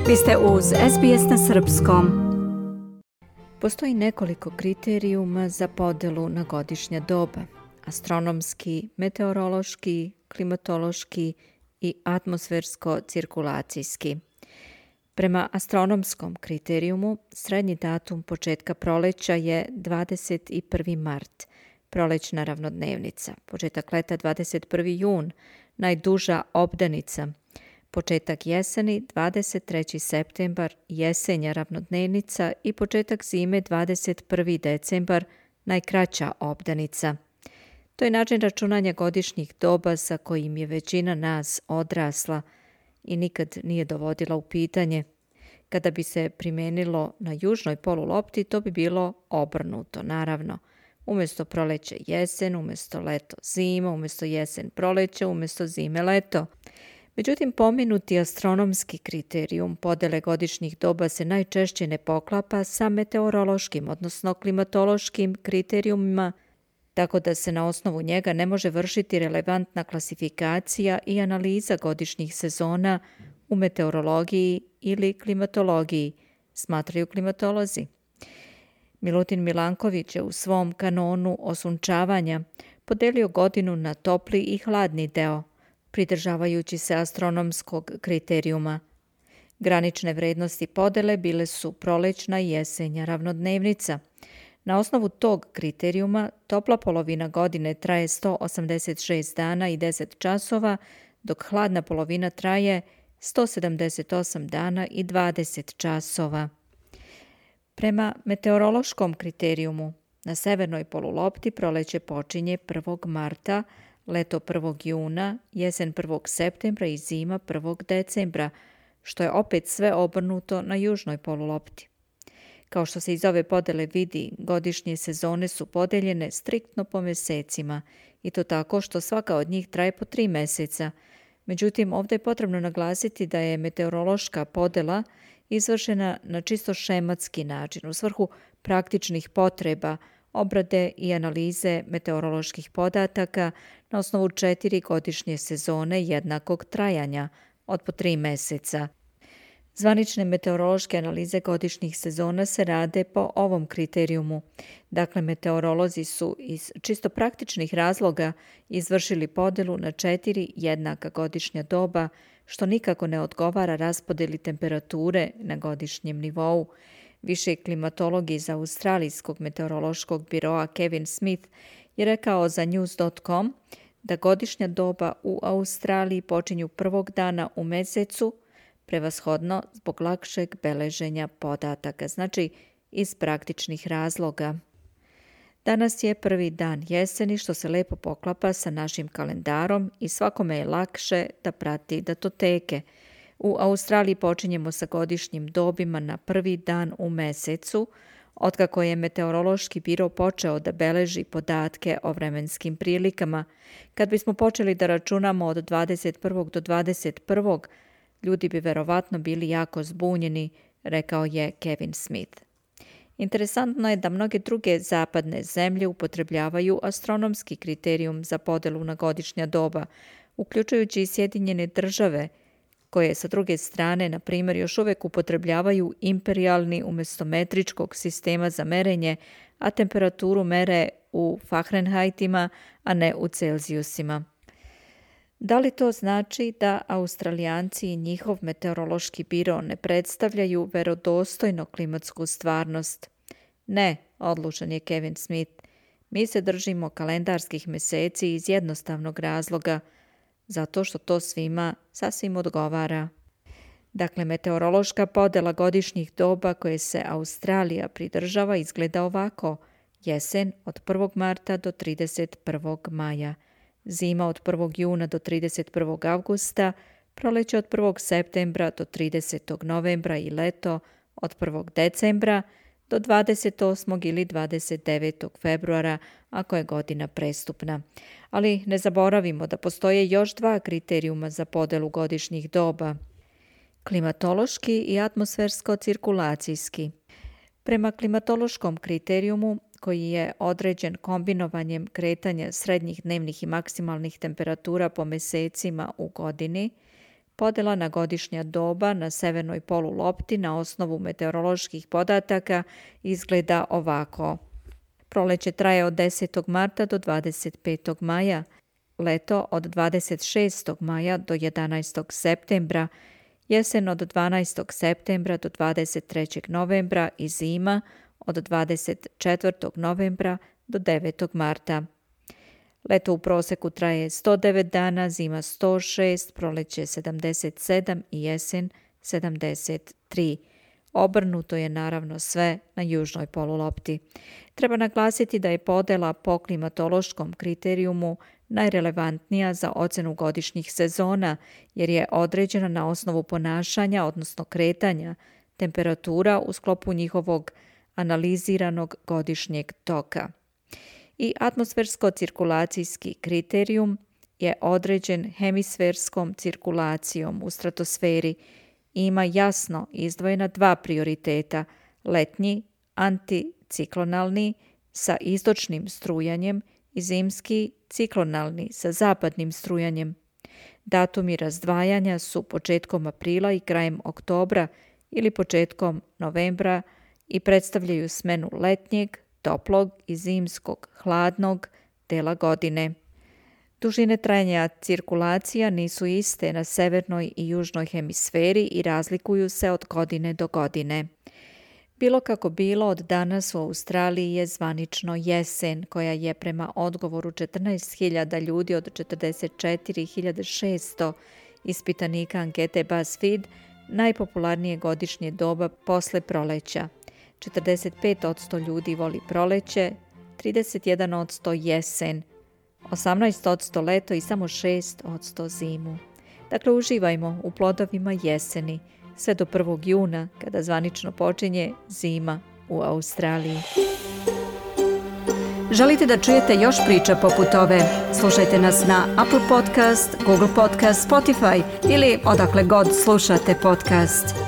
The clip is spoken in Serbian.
Vi ste uz SBS na srpskom. Postoji nekoliko kriterijuma za podelu na godišnja doba. Astronomski, meteorološki, klimatološki i atmosfersko-cirkulacijski. Prema astronomskom kriterijumu, srednji datum početka proleća je 21. mart, prolećna ravnodnevnica, početak leta 21. jun, najduža obdanica, početak jeseni 23. septembar, jesenja ravnodnevnica i početak zime 21. decembar, najkraća obdanica. To je način računanja godišnjih doba sa kojim je većina nas odrasla i nikad nije dovodila u pitanje. Kada bi se primijenilo na južnoj polulopti, to bi bilo obrnuto, naravno. Umjesto proleće jesen, umjesto leto zima, umjesto jesen proleće, umjesto zime leto. Međutim, pomenuti astronomski kriterijum podele godišnjih doba se najčešće ne poklapa sa meteorološkim, odnosno klimatološkim kriterijumima, tako da se na osnovu njega ne može vršiti relevantna klasifikacija i analiza godišnjih sezona u meteorologiji ili klimatologiji, smatraju klimatolozi. Milutin Milanković je u svom kanonu osunčavanja podelio godinu na topli i hladni deo, pridržavajući se astronomskog kriterijuma. Granične vrednosti podele bile su prolećna i jesenja ravnodnevnica. Na osnovu tog kriterijuma topla polovina godine traje 186 dana i 10 časova, dok hladna polovina traje 178 dana i 20 časova. Prema meteorološkom kriterijumu, na severnoj polulopti proleće počinje 1. marta, leto 1. juna, jesen 1. septembra i zima 1. decembra, što je opet sve obrnuto na južnoj polulopti. Kao što se iz ove podele vidi, godišnje sezone su podeljene striktno po mjesecima i to tako što svaka od njih traje po 3 mjeseca. Međutim, ovdje je potrebno naglasiti da je meteorološka podela izvršena na čisto šematski način u svrhu praktičnih potreba, obrade i analize meteoroloških podataka na osnovu 4 godišnje sezone jednakog trajanja od po 3 mjeseca. Zvanične meteorološke analize godišnjih sezona se rade po ovom kriterijumu. Dakle, meteorolozi su iz čisto praktičnih razloga izvršili podelu na 4 jednaka godišnja doba, što nikako ne odgovara raspodeli temperature na godišnjem nivou. Viši klimatolog iz Australijskog meteorološkog biroa Kevin Smith je rekao za News.com da godišnja doba u Australiji počinju prvog dana u mjesecu, prevashodno zbog lakšeg beleženja podataka, znači iz praktičnih razloga. Danas je prvi dan jeseni, što se lepo poklapa sa našim kalendarom i svakome je lakše da prati datoteke. U Australiji počinjemo sa godišnjim dobima na prvi dan u mjesecu, otkako je meteorološki biro počeo da beleži podatke o vremenskim prilikama. Kad bismo počeli da računamo od 21. do 21. ljudi bi verovatno bili jako zbunjeni, rekao je Kevin Smith. Interesantno je da mnoge druge zapadne zemlje upotrebljavaju astronomski kriterijum za podelu na godišnja doba, uključujući i Sjedinjene Države, koje sa druge strane, na primjer, još uvijek upotrebljavaju imperijalni umjesto metričkog sistema za merenje, a temperaturu mere u Fahrenheitima, a ne u Celzijusima. Da li to znači da Australijanci i njihov meteorološki biro ne predstavljaju verodostojno klimatsku stvarnost? Ne, odlučan je Kevin Smith. Mi se držimo kalendarskih mjeseci iz jednostavnog razloga, zato što to svima sasvim odgovara. Dakle, meteorološka podela godišnjih doba koje se Australija pridržava izgleda ovako: jesen od 1. marta do 31. maja, zima od 1. juna do 31. avgusta, proleće od 1. septembra do 30. novembra i leto od 1. decembra do 28. ili 29. februara ako je godina prestupna. Ali ne zaboravimo da postoje još 2 kriterijuma za podelu godišnjih doba: klimatološki i atmosfersko-cirkulacijski. Prema klimatološkom kriterijumu, koji je određen kombinovanjem kretanja srednjih dnevnih i maksimalnih temperatura po mjesecima u godini, Podjela na godišnja doba na severnoj polulopti na osnovu meteoroloških podataka izgleda ovako. Proleće traje od 10. marta do 25. maja, leto od 26. maja do 11. septembra, jesen od 12. septembra do 23. novembra i zima od 24. novembra do 9. marta. Leto u proseku traje 109 dana, zima 106, proleće 77 i jesen 73. Obrnuto je naravno sve na južnoj polulopti. Treba naglasiti da je podjela po klimatološkom kriterijumu najrelevantnija za ocenu godišnjih sezona, jer je određena na osnovu ponašanja, odnosno kretanja, temperatura u sklopu njihovog analiziranog godišnjeg toka. I atmosfersko-cirkulacijski kriterijum je određen hemisferskom cirkulacijom u stratosferi i ima jasno izdvojena dva prioriteta, letnji, anticiklonalni sa istočnim strujanjem i zimski ciklonalni sa zapadnim strujanjem. Datumi razdvajanja su početkom aprila i krajem oktobra ili početkom novembra i predstavljaju smenu letnjeg, toplog i zimskog, hladnog dela godine. Dužine trajanja cirkulacija nisu iste na severnoj i južnoj hemisferi i razlikuju se od godine do godine. Bilo kako bilo, od danas u Australiji je zvanično jesen, koja je prema odgovoru 14.000 ljudi od 44.600 ispitanika ankete BuzzFeed najpopularnije godišnje doba posle proleća. 45% ljudi voli proleće, 31% jesen, 18% leto i samo 6% zimu. Dakle, uživajmo u plodovima jeseni, sve do 1. juna, kada zvanično počinje zima u Australiji. Želite da čujete još priča poput ove? Slušajte nas na Apple Podcast, Google Podcast, Spotify ili odakle god slušate podcast.